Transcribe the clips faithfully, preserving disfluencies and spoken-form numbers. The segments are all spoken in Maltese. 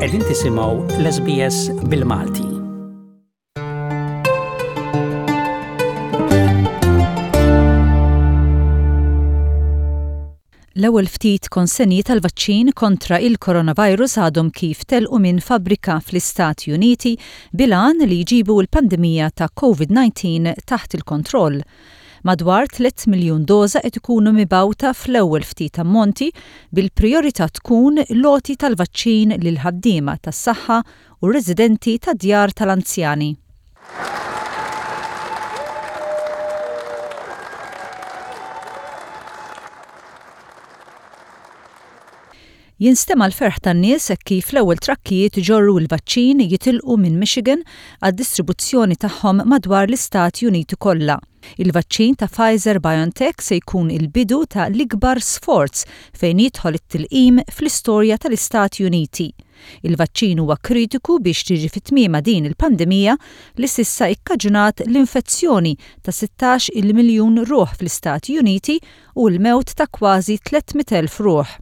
Qegħdin tisimgħu l-S B S bil-Malti. L-ewwel ftit konsenji tal-vaċċin kontra il-coronavirus għadhom kif telqu minn fabbrika fl-Istati Uniti bil-għan li jġibu l-pandemija ta' COVID nineteen taħt il-kontroll. Madwar tliet miljun doża qed ikunu mibgħuta fl-ewwel ftit ammonti, bil-priorità tkun l-għoti tal-vaċċin lil ħaddiema tas-saħħa u residenti ta' djar tal-anzjani. Jinstema' l-ferħ tan-nies kif l-ewwel trakkijiet iġorru l-vaċċin jitilqu minn Michigan għad-distribuzzjoni tagħhom madwar l-Istati Uniti kollha. Il-vaċċin ta' Pfizer BioNTech se jkun il-bidu ta' l-ikbar sforz fejn jidħol it-tilqim fl-istorja tal-Istati Uniti. Il-vaċċin huwa kritiku biex tiġi fit-tmiema din il-pandemija li s'issa ikkaġunat l-infezzjoni ta' sittax il miljun ruħ fl-Istati Uniti u l-mewt ta' kważi tliet mitt elf ruħ.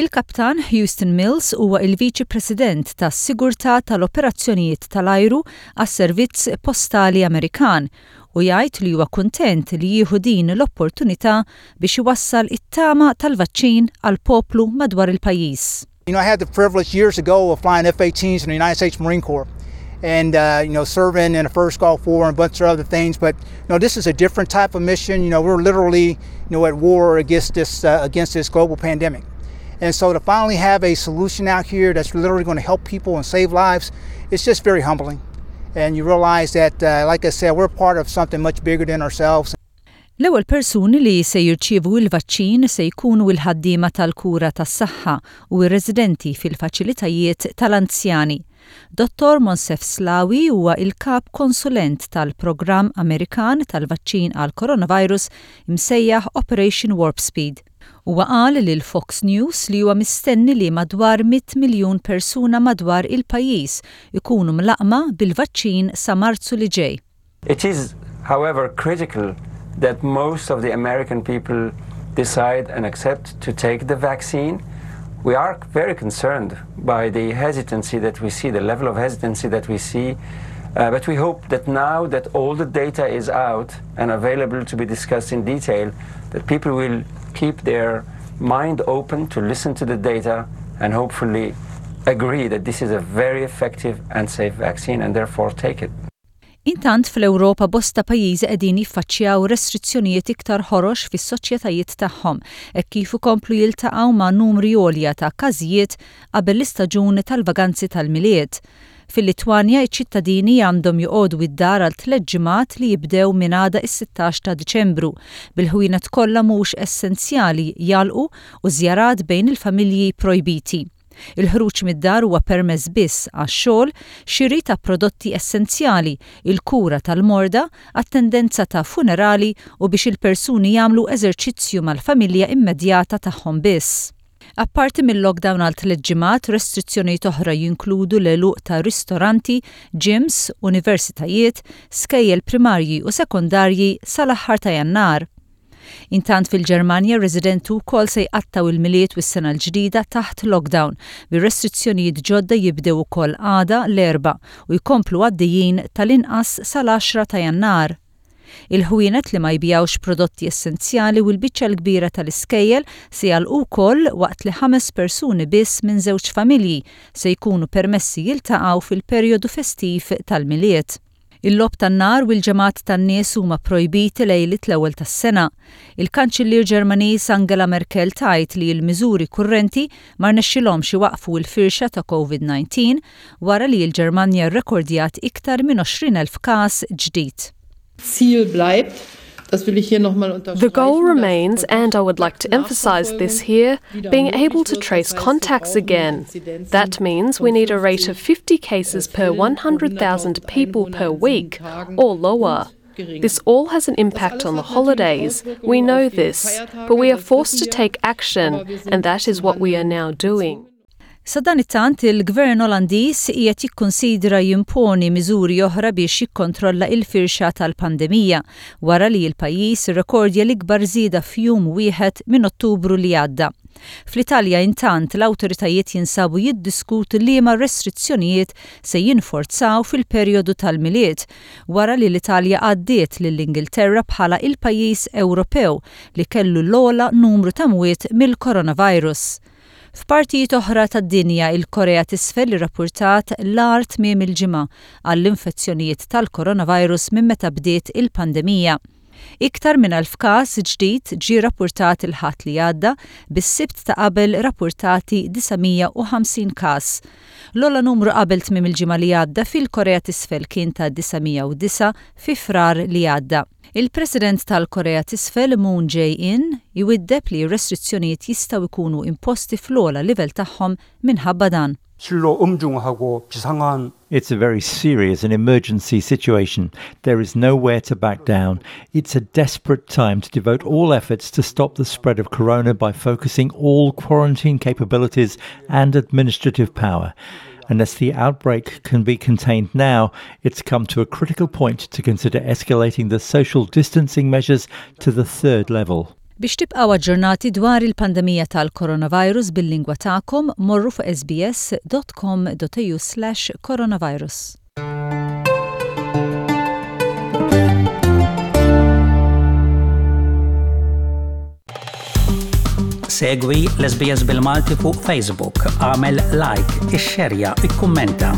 Il-kaptan Houston Mills huwa il-Viċi President tas-Sigurtà tal-Operazzjonijiet tal-Ajru għas-Servizz Postali Amerikan u jgħid li huwa kuntent li jieħu din l-opportunità biex iwassal it-tama tal-vaċċin għal poplu madwar il-pajjiż. You know, I had the privilege years ago of flying F eighteens in the United States Marine Corps and, uh, you know, serving in the first Gulf War and a bunch of other things. But, you know, this is a different type of mission. You know, we're literally, you know, at war against this, uh, against this global pandemic. And so to finally have a solution out here that's literally going to help people and save lives, it's just very humbling. And you realize that, uh, like I said, we're part of something much bigger than ourselves. L-ewwel persuni li se jirċievu il-vaċċin se jkunu il-ħaddiema tal-kura tas-saħħa u r-residenti fil-faċilitajiet tal-anzjani. Dottor Moncef Slaoui huwa il-kap konsulent tal-programm Amerikan tal-vaċċin għal coronavirus imsejjaħ Operation Warp Speed. Huwa qal lil Fox News li huwa mistenni li madwar mitt miljun persuna madwar il-pajjiż ikunu mlaqqma bil-vaċċin sa Marzu li ġej. It is, however, critical that most of the American people decide and accept to take the vaccine. We are very concerned by the hesitancy that we see, the level of hesitancy that we see. Uh, but we hope that now that all the data is out and available to be discussed in detail, that people will keep their mind open to listen to the data and hopefully agree that this is a very effective and safe vaccine and therefore take it. Intant, fl-Ewropa bosta pajjiżi qegħdin jiffaċċjaw restrizzjonijiet iktar ħorox fis-soċjetajiet tagħhom hekk kif ikomplu jiltaqgħu ma' numri għolja ta' każijiet qabel l-istaġun tal-vaganzi tal-Milied. Fil-Litwanja, iċ-ċittadini għandhom joqogħdu id-dar għal tliet ġimgħat li jibdew minn għada, is-sittax ta' Diċembru, bil-ħwienet kollha mhux essenzjali jagħlqu u żjarat bejn il-familji projbiti. Il-ħruġ mid-dar huwa permess biss għax-xogħol, xiri ta' prodotti essenzjali, il-kura tal-morda, attendenza ta' funerali u biex il-persuni jagħmlu eżerċizzju mal-familja immedjata tagħhom biss. Apparti mill-lockdown għal tliet ġimgħat, restrizzjonijiet oħra jinkludu l-għeluq ta' ristoranti, gyms, universitajiet, skejjel primarji u sekondarji sal-aħħar ta' Jannar. Intant, fil-Ġermanja, residenti wkoll se jqattaw il-Milied u s-sena l-ġdida taħt lockdown, bir-restrizzjonijiet ġodda jibdew ukoll għada l-Erbgħa u jkomplu għaddejjin tal-inqas sal-għaxra ta' Jannar. Il-ħwienet li ma jbigħux prodotti essenzjali u l-biċċa l-kbira tal-iskejjel se jagħlqu wkoll, waqt li ħames persuni biss minn żewġ familji se jkunu permessi jiltaqgħu fil-perjodu festiv tal-Milied. Il-logħob tan-nar u l-ġemgħat tan-nies huma projbiti lejlit l-ewwel tas-sena. Il-Kanċillier Ġermaniż Angela Merkel tgħid li l-miżuri kurrenti ma rnexxilhomx iwaqfu l-firxa ta' COVID nineteen wara li l-Ġermanja rrekordjat iktar minn għoxrin elf każ ġdid. Ziel bleibt. Das will ich hier nochmal The goal remains, and I would like to emphasize this here, being able to trace contacts again. That means we need a rate of fifty cases per one hundred thousand people per week or lower. This all has an impact on the holidays. We know this, but we are forced to take action, and that is what we are now doing. Sadanittant, il-Gvern Olandiż qiegħed jikkonsidra jimponi miżuri oħra biex jikkontrolla il-firxa tal-pandemija wara li l-pajjiż irrekordja l-ikbar żieda f'jum wieħed minn Ottubru li għadda. Fl-Italja, intant, l-awtoritajiet jinsabu jiddiskutu liema restrizzjonijiet se jinforzaw fil-perjodu tal-Milied wara li l-Italja għaddiet lill-Ingilterra bħala il-pajjiż Ewropew li kellu l-ogħla numru ta' mwiet mill-coronavirus. F'partijiet oħra tad-dinja, il-Korea t'Isfel irrappurtat l-agħar tmiem il-ġimgħa għall-infezzjonijiet tal-coronavirus minn meta bdiet il-pandemija. Iktar minn elf każ ġdid ġie rappurtat il-Ħadd li għadda, bis-Sibt ta' qabel rapportati disa' mija u ħamsin każ. L-ogħla numru qabel tmiem il-ġimgħa li għadda fil-Korea t'Isfel kien ta' disa' mija u disgħa fi Frar li għadda. Il-President tal-Korea t'Isfel, Moon Jae-in, jwiddeb li restrizzjonijiet jistgħu jkunu imposti fl-ogħla livell tagħhom minħabba dan. 실로 엄중하고 비상한 It's a very serious and emergency situation. There is nowhere to back down. It's a desperate time to devote all efforts to stop the spread of corona by focusing all quarantine capabilities and administrative power. Unless the outbreak can be contained now, it's come to a critical point to consider escalating the social distancing measures to the third level. Biex tibqaw aġġornati dwar il-pandemija tal-coronavirus bil-lingwa tagħkom, morru fuq S B S dot com dot A U slash coronavirus. Segwi l-S B S bil-Malti fuq Facebook, agħmel like, ixxerja, ikkummenta.